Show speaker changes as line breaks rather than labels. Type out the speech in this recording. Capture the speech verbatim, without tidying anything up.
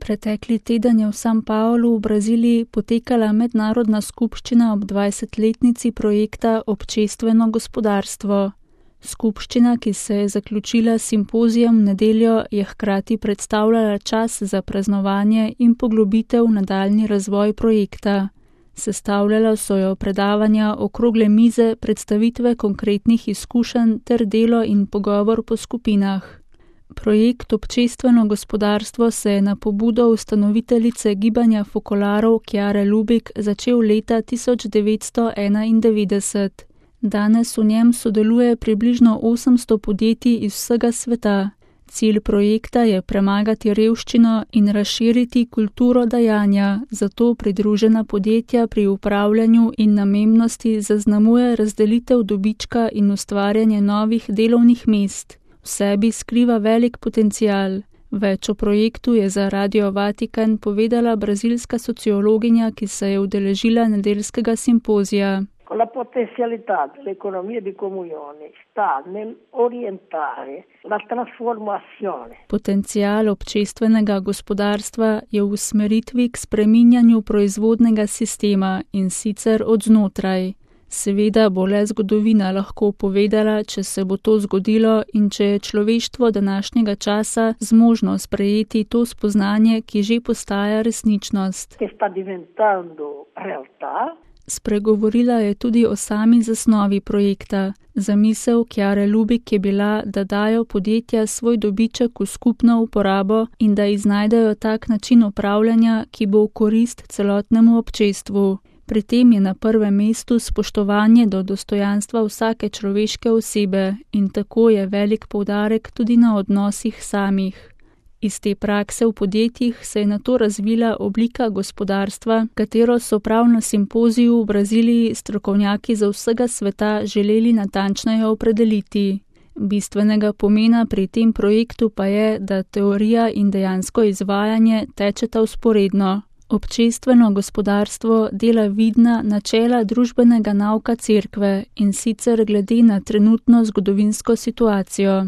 Pretekli teden je v San Paulu v Braziliji potekala mednarodna skupščina ob dvajsetletnici projekta Občestveno gospodarstvo. Skupščina, ki se je zaključila s simpozijem v nedeljo, je hkrati predstavljala čas za praznovanje in poglobitev v nadaljnji razvoj projekta. Sestavljala so jo predavanja, okrogle mize, predstavitve konkretnih izkušenj ter delo in pogovor po skupinah. Projekt Občestveno gospodarstvo se je na pobudo ustanoviteljice gibanja fokolarov Chiare Lubich začel leta tisoč devetsto enaindevetdeset. Danes v njem sodeluje približno osemsto podjetij iz vsega sveta. Cilj projekta je premagati revščino in razširiti kulturo dajanja, zato pridružena podjetja pri upravljanju in namembnosti zaznamuje razdelitev dobička in ustvarjanje novih delovnih mest. V sebi skriva velik potencial. Več o projektu je za Radio Vatikan povedala brazilska sociologinja, ki se je udeležila nedeljskega simpozija.
La potenzialità dell'economia di comunione sta nell'orientare la trasformazione.
Potencial občestvenega gospodarstva je v usmeritvi k spreminjanju proizvodnega sistema in sicer od znotraj. Seveda bo le zgodovina lahko povedala, če se bo to zgodilo in če je človeštvo današnjega časa zmožno sprejeti to spoznanje, ki že postaja resničnost.
Che sta diventando realtà.
Spregovorila je tudi o sami zasnovi projekta. Zamisel Chiare Lubich je bila, da dajo podjetja svoj dobiček v skupno uporabo in da iznajdejo tak način upravljanja, ki bo v korist celotnemu občestvu. Pri tem je na prvem mestu spoštovanje do dostojanstva vsake človeške osebe in tako je velik poudarek tudi na odnosih samih. Iz te prakse v podjetjih se je nato razvila oblika gospodarstva, katero so prav na simpoziju v Braziliji strokovnjaki za vsega sveta želeli natančneje opredeliti. Bistvenega pomena pri tem projektu pa je, da teorija in dejansko izvajanje tečeta vzporedno. Občestveno gospodarstvo dela vidna načela družbenega nauka cerkve in sicer glede na trenutno zgodovinsko situacijo.